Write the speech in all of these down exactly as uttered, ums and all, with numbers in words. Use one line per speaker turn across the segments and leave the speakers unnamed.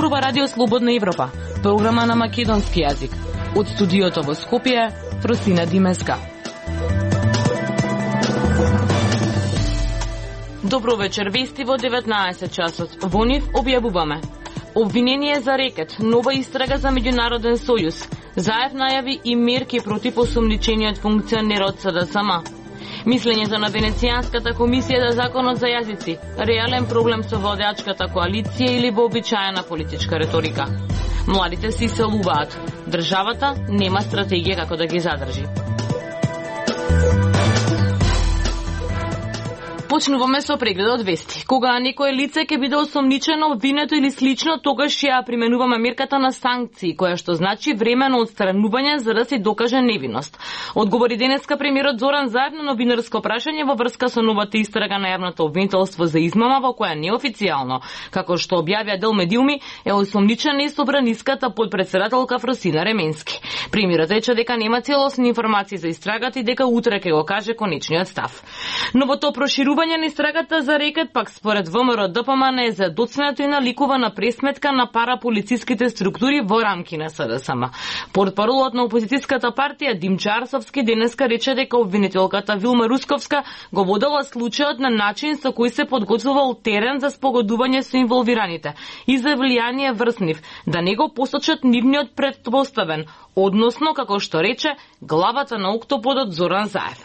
зборува Радио Слободна Европа, програма на македонски јазик. Од студиото во Скопје, Фросина Димеска. Добро вечер, вести во деветнаесет часот. Во нив објавуваме: обвинение за рекет, нова истрага за меѓународен сојуз. Заев најави и мерки против осомничениот функционер од СДСМ. Мислењето на Венецијанската комисија за законот за јазици, реален проблем со владеачката коалиција или вообичаена политичка реторика. Младите се иселуваат. Државата нема стратегија како да ги задржи. Почнуваме со прегледот вести. Кога некое лице ќе биде осомничено, обвинето или слично, тогаш ја применуваме мерката на санкции, која што значи времено отстранување за да се докаже невиност. Одговори денеска премиерот Зоран Заев на новинарско прашање во врска со новата истрага на јавното обвинителство за измама, во која неофицијално, како што објавија дел медиуми, е осомничена и собраниската подпредседателка Фросина Ременски. Премиерот рече дека нема целосни информации за истрагата и дека утре ќе го каже конечниот став. Новото проширување на истрагата за рекет пак според ВМРО ДПМН е задоцнето и наликува на пресметка на параполициските структури во рамки на СДСМ. Портпаролот на опозицијската партија Димчо Арсовски денеска рече дека обвинителката Вилма Русковска го водела случајот на начин со кој се подготвувал терен за спогодување со инволвираните и за влијание врз нив, да не го посочат нивниот претпоставен, односно, како што рече, главата на октоподот Зоран Заев.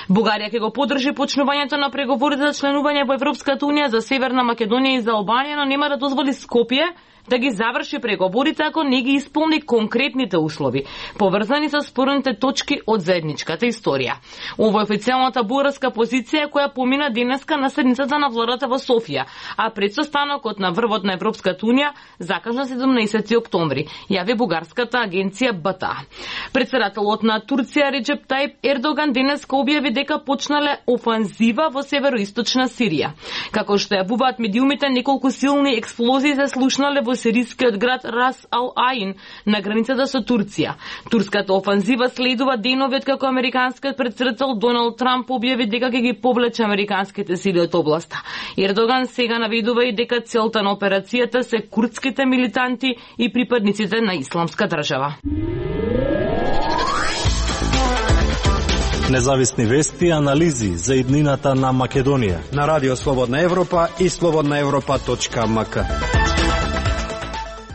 Бугарија ќе го поддржи почнувањето на преговорите за членување во Европската унија за Северна Македонија и за Албанија, но нема да дозволи Скопје да ги заврши преговорите ако не ги исполни конкретните услови, поврзани со спорните точки од заедничката историја. Ова е официјалната бугарска позиција која помина денеска на седницата на владата во Софија, а пред состанокот на врвот на Европската унија закажан седумнаесети октомври, јави бугарската агенција Б Т А. Председателот на Турција Реджеп Тајип Ердоган денеска објави дека почнале офанзива во североисточна Сирија. Како што јавуваат медиумите, неколку силни експлозии се слушнале во сирискиот град Рас Ал Аин на границата со Турција. Турската офанзива следува денови како американскиот претседател Доналд Трамп објави дека ќе ги повлече американските сили од областа. Ердоган сега наведува и дека целта на операцијата се курдските милитанти и припадниците на Исламска држава.
Независни вести и анализи за иднината на Македонија
на Радио Слободна Европа и слободна европа точка ем ка.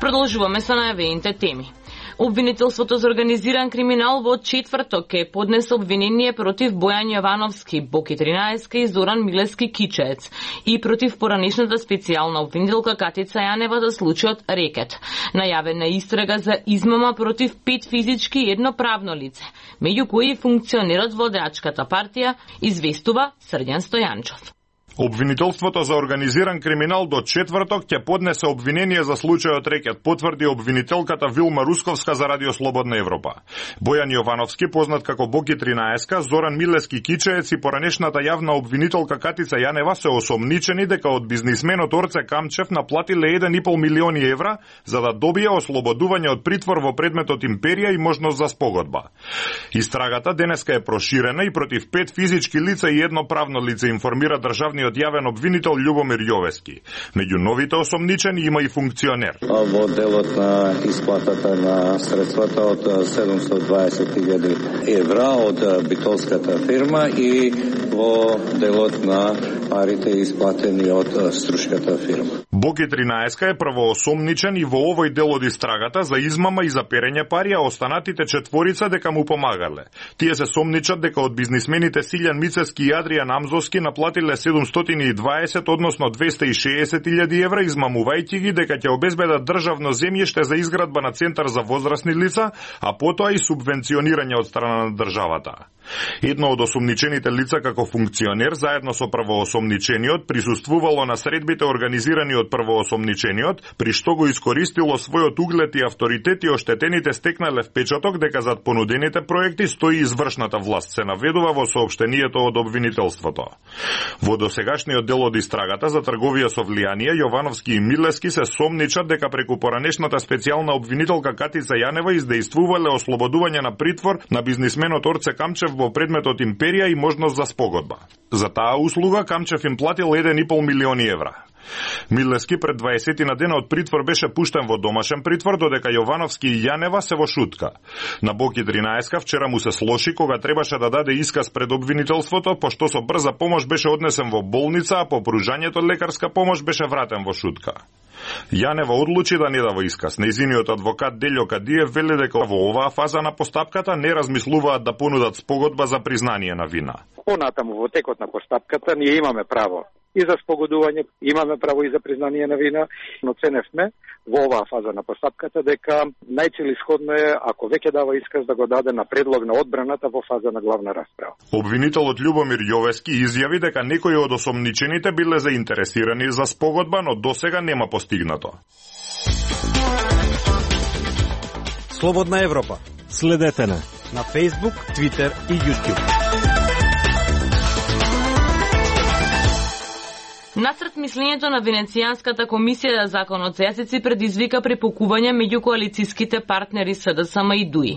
Продолжуваме со најавените теми. Обвинителството за организиран криминал во четврток ќе поднесе обвинение против Бојан Јовановски, Боки тринаесет и Зоран Милески Кичеец и против поранешната специјална обвинителка Катица Јанева за случајот рекет. Најавена истрага за измама против пет физички и едно правно лице, меѓу кои функционерот владеачката партија, известува Срđan Стојанчов.
Обвинителството за организиран криминал до четврток ќе поднесе обвинение за случајот рекет, потврди обвинителката Вилма Русковска за Радио Слободна Европа. Бојан Јовановски, познат како Боки тринаесет, Зоран Милески Кичеец и поранешната јавна обвинителка Катица Јанева се осомничени дека од бизнисменот Орце Камчев наплатиле еден и пол милиони евра за да добие ослободување од притвор во предметот Империја и можност за спогодба. Истрагата денеска е проширена и против пет физички лица и едно правно лице, информира државниот јавен обвинител Љубомир Јовески. Меѓу новите осомничени има и функционер.
Во делот на исплатата на средствата од седумстотини и дваесет илјади евра од битолската фирма и во делот на парите исплатени од струшката фирма.
Боки тринаесет е првоосомничен и во овој дел од истрагата за измама и за перење пари, а останатите четворица дека му помагале. Тие се сомничат дека од бизнисмените Силјан Мицевски и Адријан Амзовски наплатиле седумстотини и дваесет, односно двесте и шеесет илјади евра, измамувајќи ги дека ќе обезбедат државно земјиште за изградба на центар за возрасни лица, а потоа и субвенционирање од страна на државата. Едно од осомничените лица како функционер, заедно со првоосомничениот, присуствувало на средбите организирани од првоосомничениот, при што го искористило својот углед и авторитет и оштетените стекнале впечаток дека зад понудените проекти стои извршната власт, се наведува во соопштението од обвинителството. Во досегашниот дел од истрагата за трговија со влијание, Јовановски и Милески се сомничат дека преку поранешната специјална обвинителка Катица Јанева издејствувале ослободување на притвор на бизнисменот Орце Камчев во предметот Империја и можност за спогодба. За таа услуга Камчев им платил еден и пол милиони евра. Милевски пред дваесет дена од притвор беше пуштен во домашен притвор, додека Јовановски и Јанева се во шутка. На Боки тринаесет вчера му се слоши кога требаше да даде исказ пред обвинителството, пошто со брза помош беше однесен во болница, а по пружањето лекарска помош беше вратен во шутка. Јанева одлучи да не дава исказ. Нејзиниот адвокат Делјо Кадиев вели дека во оваа фаза на постапката не размислуваат да понудат спогодба за признание на вина.
Понатаму во текот на постапката ние имаме право и за спогодување, имаме право и за признание на вина, но ценевме во оваа фаза на постапката дека најцелисходно е, ако веќе дава исказ, да го даде на предлог на одбраната во фаза на главна расправа.
Обвинителот Љубомир Јовески изјави дека некои од осомничените биле заинтересирани за спогодба, но досега нема постигнато.
Слободна Европа.
Следете на
на Facebook, Twitter и YouTube.
Насред мислењето на Венецијанската комисија за законот за јазици предизвика препукување меѓу коалицијските партнери СДСМ и ДУИ.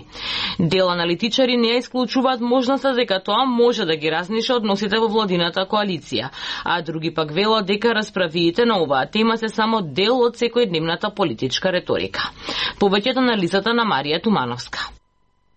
Дел аналитичари не ја исклучуваат можноста дека тоа може да ги разниша односите во владината коалиција, а други пак велат дека расправиите на оваа тема се само дел од секојдневната политичка реторика. Повеќето на листата на Марија Тумановска.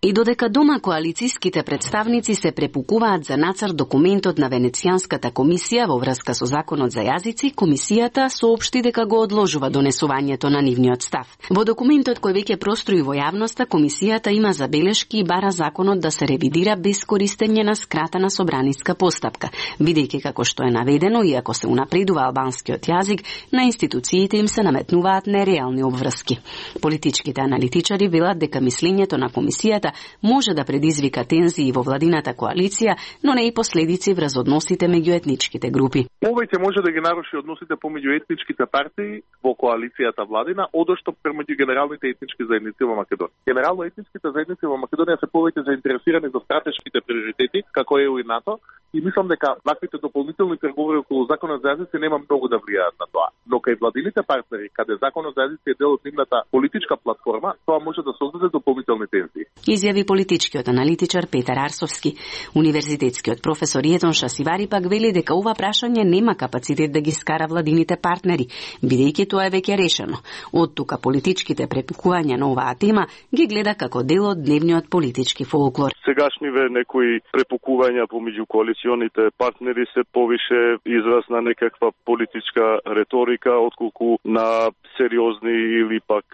И додека дома коалицијските представници се препукуваат за нацрт документот на Венецијанската комисија во врска со законот за јазици, комисијата соопшти дека го одложува донесувањето на нивниот став. Во документот кој веќе прострои во јавноста, комисијата има забелешки и бара законот да се ревидира без користење на скратена собраниска постапка, бидејќи како што е наведено, иако се унапредува албанскиот јазик, на институциите им се наметнуваат нереални обврски. Политичките аналитичари велат дека мислењето на комисијата може да предизвика тензии во владината коалиција, но не и последици врз односите меѓу етничките групи.
Повеќе може да ги наруши односите помеѓу етничките партии во коалицијата владина, одошто премеѓу генералните етнички заедници во Македонија. Генерално етничките заедници во Македонија се повеќе заинтересирани за стратешките приоритети, како е и НАТО, и мислам дека ваквите дополнителни преговори околу законот за јазици нема многу да влијаат на тоа. Но кај владините партнери, каде законот за јазици е дел од нивната политичка платформа, тоа може да создаде дополнителни тензии.
Изјави политичкиот аналитичар Петар Арсовски. Универзитетскиот професор Јетон Шасивари пак вели дека ова прашање нема капацитет да ги скара владините партнери, бидејќи тоа е веќе решено. Од тука политичките препукувања на оваа тема ги гледа како дел од дневниот политички фолклор.
Сегашниве некои препукувања помеѓу коалиционите партнери се повише израз на некаква политичка реторика отколку на сериозни или пак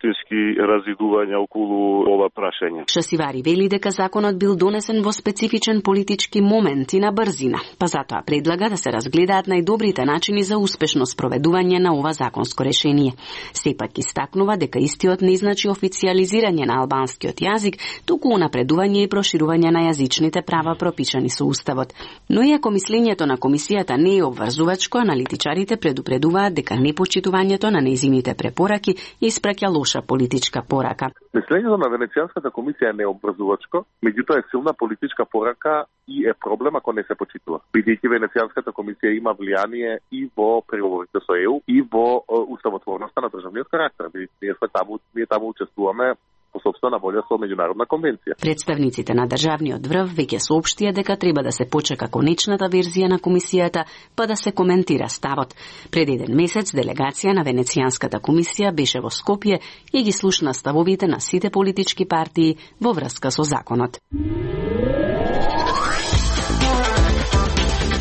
вистински разидувања околу ова прашање.
Шасивари вели дека законот бил донесен во специфичен политички момент и на брзина, па затоа предлага да се разгледаат најдобрите начини за успешно спроведување на ова законско решение. Сепак истакнува дека истиот не значи официализирање на албанскиот јазик, туку унапредување и проширување на јазичните права пропишани со Уставот. Но иако мислењето на комисијата не е обврзувачко, аналитичарите предупредуваат дека непочитувањето на нејзините препораки испраќа лоша политичка порака.
Мислењето на Венецијанската комисија е необврзувачко, меѓутоа е силна политичка порака и е проблем ако не се почитува. Бидејќи Венецијанската комисија има влијание и во преговорите со ЕУ и во уставотворноста на државниот карактер. Ние сме таму, ние таму учествуваме по сопствена волја со меѓународна конвенција.
Представниците на државниот врв веќе соопштија дека треба да се почека конечната верзија на комисијата, па да се коментира ставот. Пред еден месец делегација на Венецијанската комисија беше во Скопје и ги слушна ставовите на сите политички партии во врска со законот.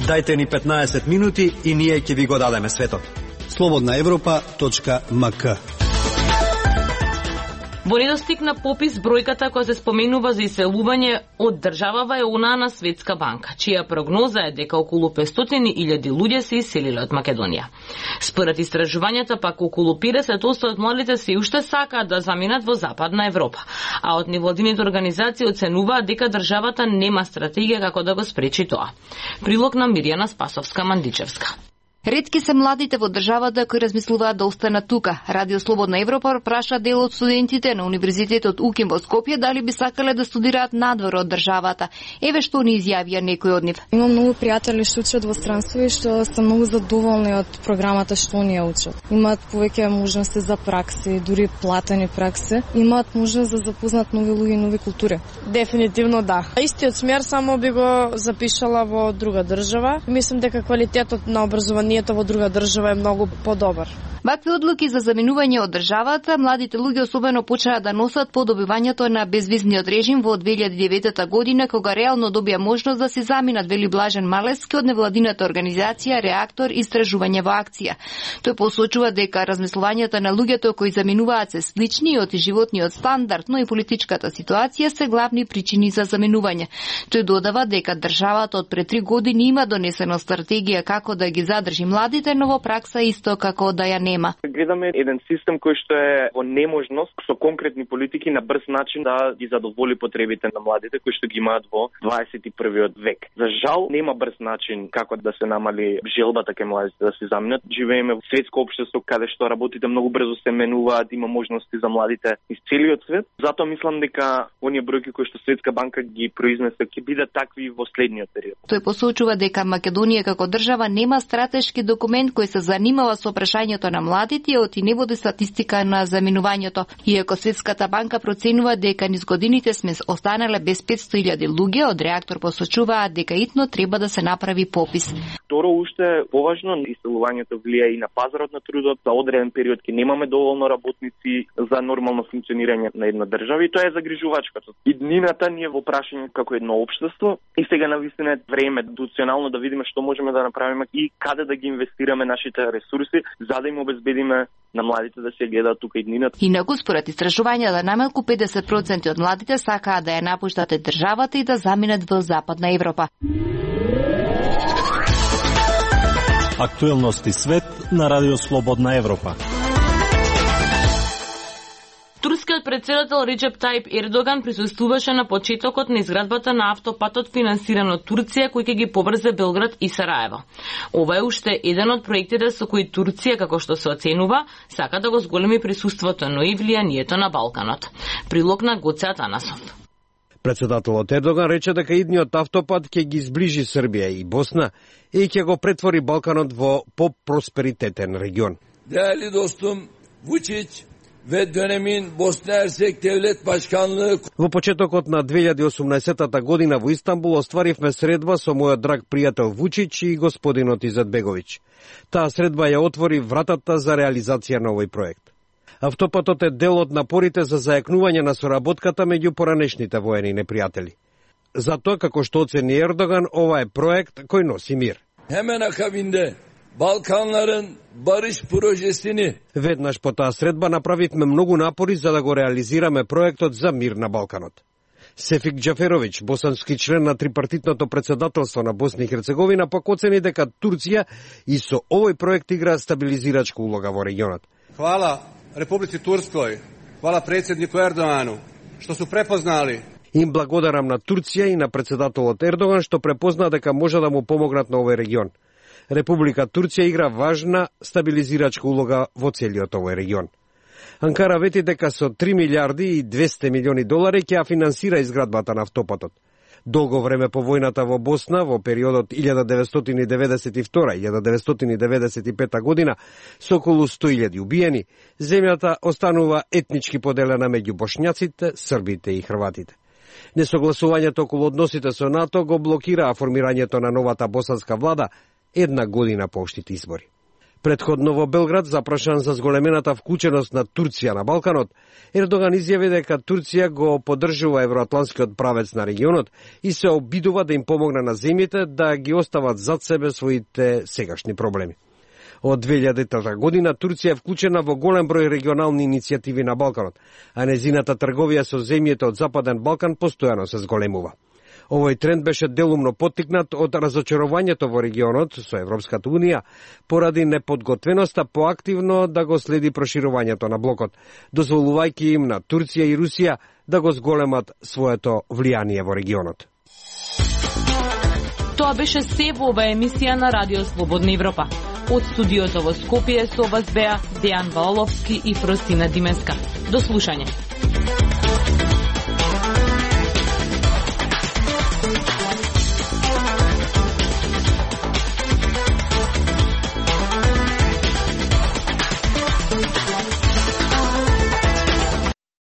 Дајте ни петнаесет минути и ние ќе ви го дадеме светот. слободна европа точка ем ка.
Во недостиг на попис, бројката која се споменува за иселување од државава е онаа на Светска банка, чија прогноза е дека околу петстотини илјади луѓе се иселиле од Македонија. Според истражувањата пак околу петдесет проценти од младите се уште сакаат да заминат во Западна Европа, а од невладините организации оценуваат дека државата нема стратегија како да го спречи тоа. Прилог на Мирјана Спасовска-Мандичевска.
Ретки се младите во државата кои размислуваат да останат тука. Радио Слободна Европа праша дел од студентите на Универзитетот УКИМ во Скопје дали би сакале да студираат надвор од државата. Еве што ни изјавија некои од нив.
Имам многу пријатели што учат во странство и што се многу задоволни од програмата што ние учат. Имаат повеќе можности за пракси, дури платени пракси. Имаат можност да запознат нови луѓе и нови култури.
Дефинитивно да. Истиот смер само би го запишала во друга држава. Мислам дека квалитетот на образование
заменувањето во друга држава е многу подобар.
Вакви одлуки за заменување од државата, младите луѓе особено почнаа да носат по добивањето на безвизниот режим во две илјади и девета година, кога реално добија можност да се заминат, вели Блажен Малевски од невладината организација Реактор Истражување во акција. Тој посочува дека размислувањата на луѓето кои заминуваат се слични од животниот стандард, но и политичката ситуација се главни причини за заменување. Тој додава дека државата од пред три години има донесена стратегија како да ги задржи младите, но во пракса исто како да ја нема.
Гледаме еден систем кој што е во неможност со конкретни политики на брз начин да ги задоволи потребите на младите кои што ги имаат во дваесет и првиот век. За жал нема брз начин како да се намали желбата кај младите да се заминат. Живееме во светско општество каде што работите многу брзо се менуваат, има можности за младите из целиот свет. Затоа мислам дека оние бројки кои што Светска банка ги произнесе ќе бидат такви во следниот период.
Тој посочува дека Македонија како држава нема стратешки документ кој се занимава со прашањето на младите, оти не води статистика на заминувањето. Иако Светската банка проценува дека низ годините сме останале без петсто илјади луѓе, од Реактор посочуваат дека итно треба да се направи попис.
Второ, уште поважно, иселувањето влија и на пазарот на трудот. За одреден период ќе немаме доволно работници за нормално функционирање на една држава и тоа е загрижувачкото. Иднината ни е во прашање како едно општество и сега навистина е време институционално да видиме што можеме да направиме и каде да ги инвестираме нашите ресурси за да им обезбедиме на младите да се гледаат тука иднината.
Инаку според истражувања најмалку педесет проценти од младите сакаат да ја напуштат државата и да заминат во Западна Европа.
Актуелности свет на Радио Слободна Европа.
Турскиот председател Реджеп Тајип Ердоган присуствуваше на почетокот на изградбата на автопатот финансиран од Турција, кој ќе ги поврзе Белград и Сараево. Ова е уште еден од проектите со кои Турција, како што се оценува, сака да го зголеми присуството, но и влијанието на Балканот. Прилог на Гоце Атанасов.
Председателот Ердоган рече дека идниот автопат ќе ги зближи Србија и Босна и ќе го претвори Балканот во по-просперитетен регион.
Değerli dostum Vučić ve dönemin Bosna Hersek Devlet Başkanlığı.
Во почетокот на две илјади и осумнаесетата година во Истанбул остваривме средба со мојот драг пријател Вучич и господинот Изетбеговиќ. Таа средба ја отвори вратата за реализација на овој проект. Автопатот е дел од напорите за зајакнување на соработката меѓу поранешните воени непријатели. Затоа, како што оцени Ердоган, ова е проект кој носи мир.
Hemen akabinde Balkanların barış projesini.
Веднаш по таа средба направивме многу напори за да го реализираме проектот за мир на Балканот. Сефик Џаферовиќ, босански член на трипартитното председателство на Босна и Херцеговина, пак оцени дека Турција и со овој проект игра стабилизирачка улога во регионот.
Хвала Републици Турској, хвала председнику Ердогану, што су препознали.
Им благодарам на Турција и на председателот Ердоган што препозна дека може да му помогнат на овој регион. Република Турција игра важна стабилизирачка улога во целиот овој регион. Анкара вети дека со три милиарди и двесте милиони долари ќе ја финансира изградбата на автопатот. Долго време по војната во Босна, во периодот илјада деветстотини деветдесет и втора - илјада деветстотини деветдесет и пета година, со околу сто илјади убиени, земјата останува етнички поделена меѓу бошњаците, србите и хрватите. Несогласувањето околу односите со НАТО го блокираа формирањето на новата босанска влада една година по општите избори. Предходно во Белград, запрашан за зголемената вклученост на Турција на Балканот, Ердоган изјави дека Турција го поддржува евроатланскиот правец на регионот и се обидува да им помогне на земјите да ги остават зад себе своите сегашни проблеми. Од две илјадата година Турција е вклучена во голем број регионални иницијативи на Балканот, а незината трговија со земјите од Западен Балкан постојано се зголемува. Овој тренд беше делумно поттикнат од разочарувањето во регионот со Европската Унија поради неподготвеноста поактивно да го следи проширувањето на блокот, дозволувајќи им на Турција и Русија да го зголемат своето влијание во регионот.
Тоа беше се во оваа емисија на Радио Слободна Европа. Од студиото во Скопје со вас беа Дејан Валовски и Фростина Димеска. До слушање.